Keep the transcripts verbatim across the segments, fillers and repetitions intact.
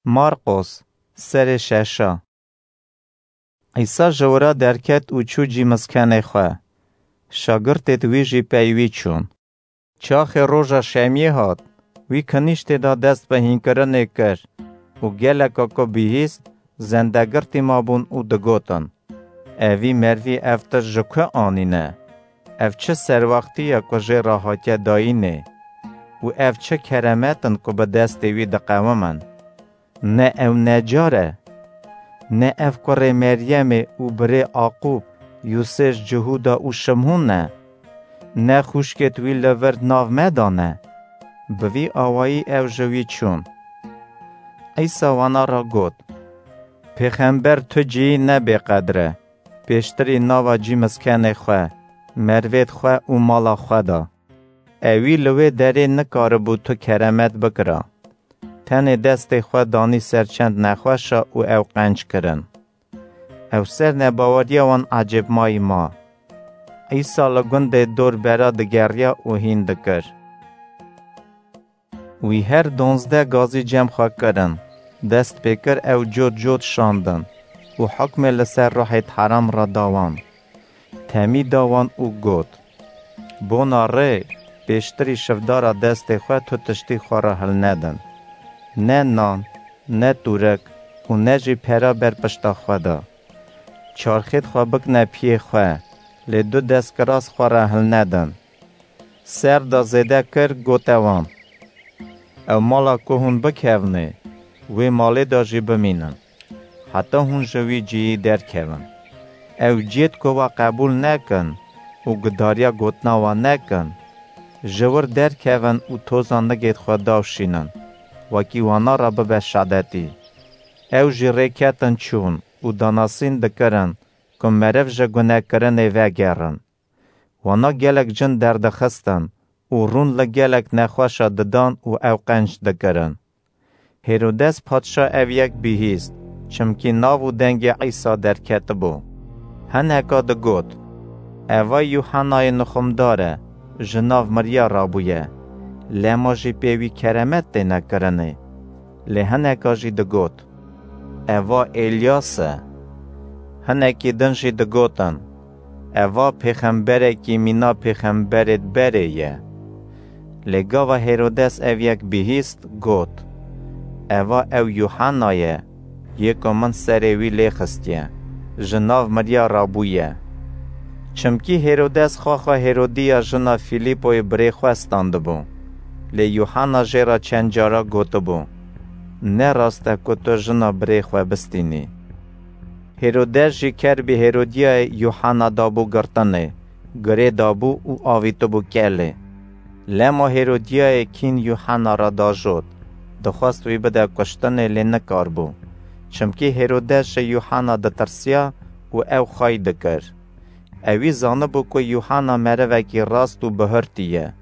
Marqos, serê şeşa. Îsa ji wira derket û çû cî miskenê xwe. Şagirtêd wî jî pey wî çûn. Çaxê roja şemiyê hat, wî kinîştê da dest bi hînkirinê kir û geleka ku bihîst, zendegirtî mabûn û digotin, "Evî mervî ev tişt ji ku anîne? Ev çi serwextî ye ku jê re hatiye dayînê? Û ev çi keremet in ku bi destê wî diqewimin? Ne ew necar e? Ne ev kurê Meryemê û birê Aqûb, Yûsê ji Cihûda û Şimhûn e? Ne xwişkêd wî li vir nav me da ne?" Bi vî awayî ew ji wî çûn. Îsa wana re got, "Pêxember tu cihî ne bêqedir e. Pêştirî nava cî miskenê xwe, mervêd xwe û mala xwe da. Ewî li wê derê nikaribû tu keremet bikira. Tenê destê xwe danî ser çend nexweşa û ew qenc kirin." Ew ser nebaweriya wan ecêbmayî ma. Îsa li gundê dor bera digeriya û hîn dikir. Wî her donzdeh gazî cem xwe kirin, dest pê kir ew cot cot şandin û hukmê li ser ruhêd heram re da wan. Temî da wan û got, "Bona rê, pêştirî şivdara destê xwe tu tiştî xwe re hilnedin. Ne nan, ne tûrik û ne jî pera ber pişta xwe de. Çarxêd xwe bikne piyê xwe, lê du destkiras xwe re hilnedin." Ser da zêde kir, gote wan, "Ew mala ku hûn bikevnê, wê malê de jî bimînin, heta hûn ji wî cihî derkevin. Ew cêd ku we qebûl nekin û gudariya gotina we nekin, ji wir derkevin û toza nigêd xwe davşînin, wekî wana re bibe şadetî." Ew jî rêketin çûn û danasîn dikirin ku meriv ji gunekirinê vegerin. Wana gelek cin derdixistin û rûn li gelek nexweşa didan û ew qenc dikirin. Hêrodes padşa ev yek bihîst, çimkî nav û dengê Îsa derketibû. Hineka digot, "Eva Yuhannayê nixumdar e, ji nav miriya rabûye. Lema jî pê wî keremet têne kirinê." Lê hineka jî digot, "Eva Elyas e." Hinekî din jî digotin, "Eva pêxemberekî mîna pêxemberêd berê ye." Lê gava Hêrodes ev yek bihîst, got, "Eva ew Yuhanna ye, yê ku min serê wî lê xistiye, ji nav miriya rabûye." Çimkî Hêrodes xwexa Hêrodiya jina Fîlîpoyê birê xwe standibû. Lê Yuhanna jê re çend cara gotibû, "Ne rast e ku tu jina birê xwe bistînî." Hêrodes jî kerbî Hêrodiyayê Yuhanna dabû girtinê, girê dabû û avîtibû kelê. Lema Hêrodiyayê kîn Yuhanna re dajot, dixwest wî bide kuştinê, lê nikaribû. Çimkî Hêrodes ji Yuhanna ditirsiya û ew xwey dikir. Ewî zanibû ku Yuhanna merivekî rast û bihurtî ye.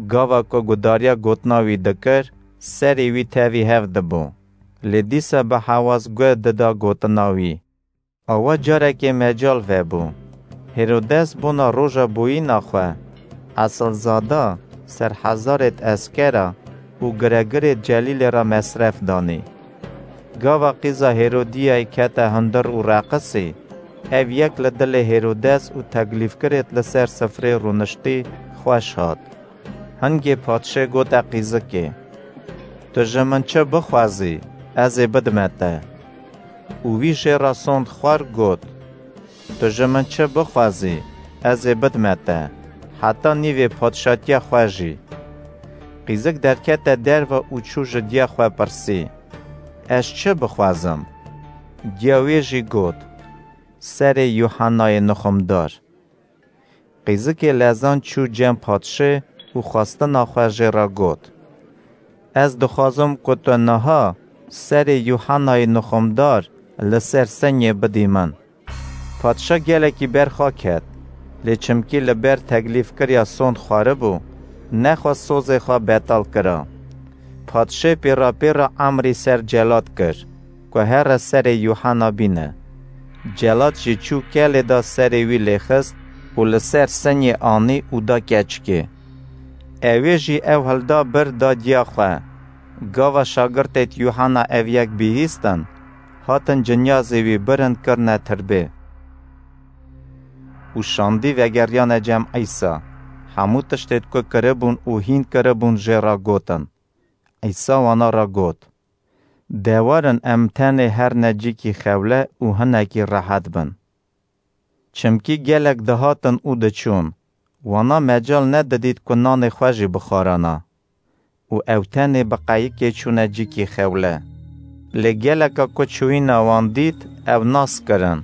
Gava ku gudariya gotina wî dikir, serê wî tevî hev dibû. Lê dîsa bi hewaz guh dida gotina wî. Awa carekê mecal vebû. Hêrodes bona roja boyîna xwe, esilzada, serhezarêd eskera û giregirêd Celîlê re mesref danî. Gava qîza Hêrodiyayê kete hundir û reqisî, ev yek li dilê Hêrodes û teklîfkirêd li ser sifrê rûniştî xweş hat. Hingê padşê gote qîzikê, "Tu ji min çi bixwazî, ez ê bidime te." Û wî jê re sond xwar, got, "Tu ji min çi bixwazî, ez ê bidime te, heta nîvê padşatiya xwe jî." Qîzik derkete derve û çû ji diya xwe pirsî, "Ez çi bixwazim?" Diya wê jî got, "Serê Yuhannayê nixumdar." Qîzikê lezan çû cem padşê û xwestina xwe jê re got, "Ez dixwazim ku tu niha serê Yuhannayê nixumdar li ser senyê bidî min." Padşa gelekî berxwe ket, lê çimkî li ber teklîfkiriya sond xwaribû, nexwest sozê xwe betal kira. Padşê pêra pêra emrî ser celat kir, ku here serê Yuhanna bîne. Celat jî çû kelê da serê wî lêxist û li ser senyê anî û da keçikê. Ewê jî ew hilda bir da diya xwe. Gava şagirtêd Yuhanna ev yek bihîstin, hatin cinyazê wî birin kirine tirbê. Û şandî vegeriyane cem Îsa. Hemû tiştêd ku kiribûn û hîn kiribûn jê re gotin. Îsa wana re got, De werin em tenê her necîkî xewle û hinekî rehet bin. Çimkî gelek dihatin û diçûn, wana mecal nedidît ku nanê xwe jî bixwarana. Û ew tenê bi qeyikê çûne cîkî xewle. Lê geleka ku çûyîna wan dît, ew nas kirin.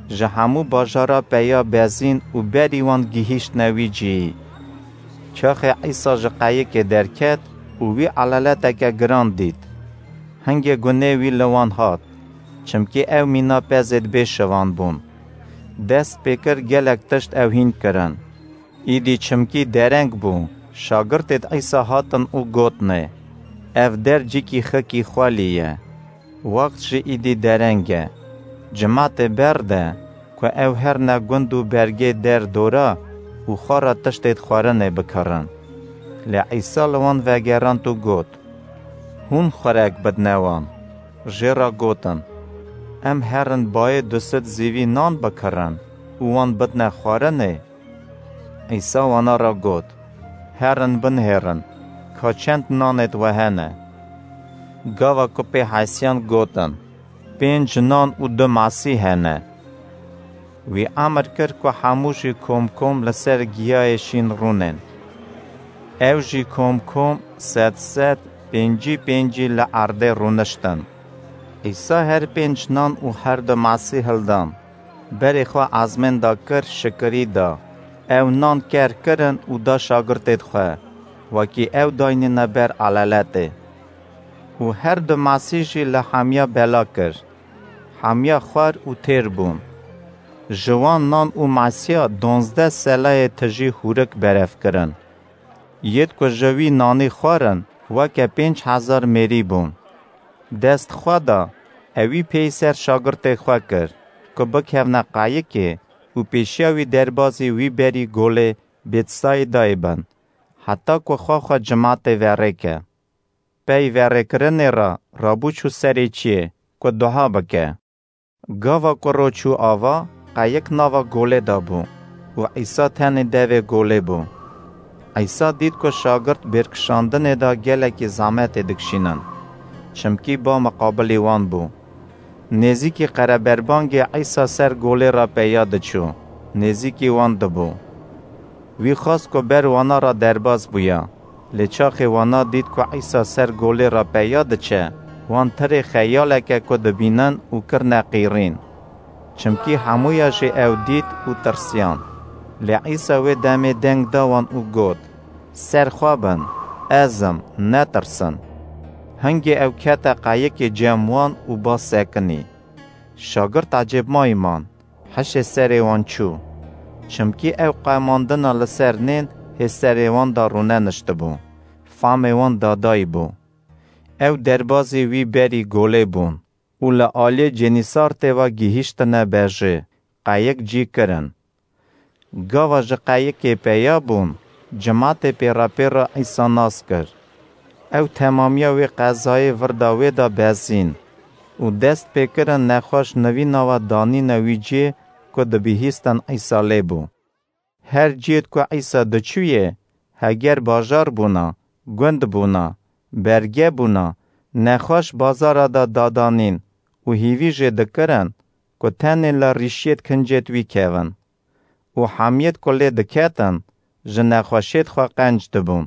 Ji hemû bajara peya bezîn û berî wan gihîştine wî cihî. Çaxê Îsa ji qeyikê derket û wî elaleteke giran dît. Hingê gunê wî li wan hat, çimkî ew mîna pezêd bê şivan bûn. Dest pê kir gelek tişt ew hîn kirin. Îdî çimkî dereng bû, şagirtêd Îsa hatin û gotnê, Ev der cîkî xikî xwelî ye. Wext jî îdî dereng e. Cimatê berde ku ew herne gund û bergê der dora û xwe re tiştêd xwarinê bikirin. Lê Îsa li wan vegerand û got, Hûn xurek bidne wan. Jê re gotin, Em herin bayê du sed zîvî nan bikirin û wan bidne xwarinê? Îsa wana re got, Herin binihêrin, ka çend nanêd we hene. Gava ku pê hesiyan gotin, Pênc nan û du masî hene. Wî emir kir ku hemû jî kom kom li ser giyayê şîn rûnên. Ew jî kom kom sed sed, pêncî pêncî li erdê rûniştin. Îsa her pênc nan û her du masî hildan. Berê xwe ezmên da kir, şikirî da. Ew nan ker kirin û da şagirtêd xwe, wekî ew daynîne ber elaletê. Û her du masî jî li hemiya bela kir. Hemiya xwar û têr bûn. Ji wan nan û masiya donzdeh selayê tijî hûrik berev kirin. Yêd ku ji wî nanî xwarin, weke pênc hezar mêrî bûn. Dest xwe da, ewî pêyî ser şagirtê xwe kir, ku bikevne qayikê û pêşiya wî derbazî wî berî golê Bêtsaîdayê bin, heta ku xwe xwe cimatê verêke. Pey verêkirinê re rabû çû serê çiyê, ku duha bike. Gava ku ro çû ava, qayik nava golê de bû û Îsa tenê devê golê bû. Îsa dît ku şagirt bêrkişandinê de gelekî zehmetê dikişînin, çimkî ba miqabilî wan bû. Nêzîkî qereberbangê Îsa ser golê re peya diçû, nêzîkî wan dibû. Wî xwest ku ber wana re derbas bûya. Lê çaxê wana dît ku Îsa ser golê re peya diçe, wan tirê xeyaleke ku dibînin û kirine qîrîn. Çimkî hemûya jî ew dît û tirsiyan. Lê Îsa wê demê deng da wan û got, Ser xwe bin, ez im, netirsin. Hingê ew kete qayikê cem wan û ba sekinî. Şagirt ecêbmayî man, hişê serê wan çû. Çimkî ew qemandina li ser nên hê serê wan de rûneniştibû, famê wan dadayî bû. Ew derbazî wî berî golê bûn û li aliyê Cenîsartê ve gihîştine bejê, qayik cî kirin. Gava ji qeyikê peya bûn, cimatê pêrepêra Îsa nas kir. Ew temamiya wê qezayê virda wê de bezîn û dest pê kirin nexweş nivîna we danîne wî cihê ku dibihîstin Îsa lê bû. Her cihêd ku Îsa diçûyê, heger bajar bûna, gund bûna, berge bûna, nexweş bazara de dadanîn û hîvî jê dikirin ku tenê li rîşiyêd kincêd wî kevin. Û hemiyêd ku lê diketin, ji nexweşiyêd xwe qenc dibûn.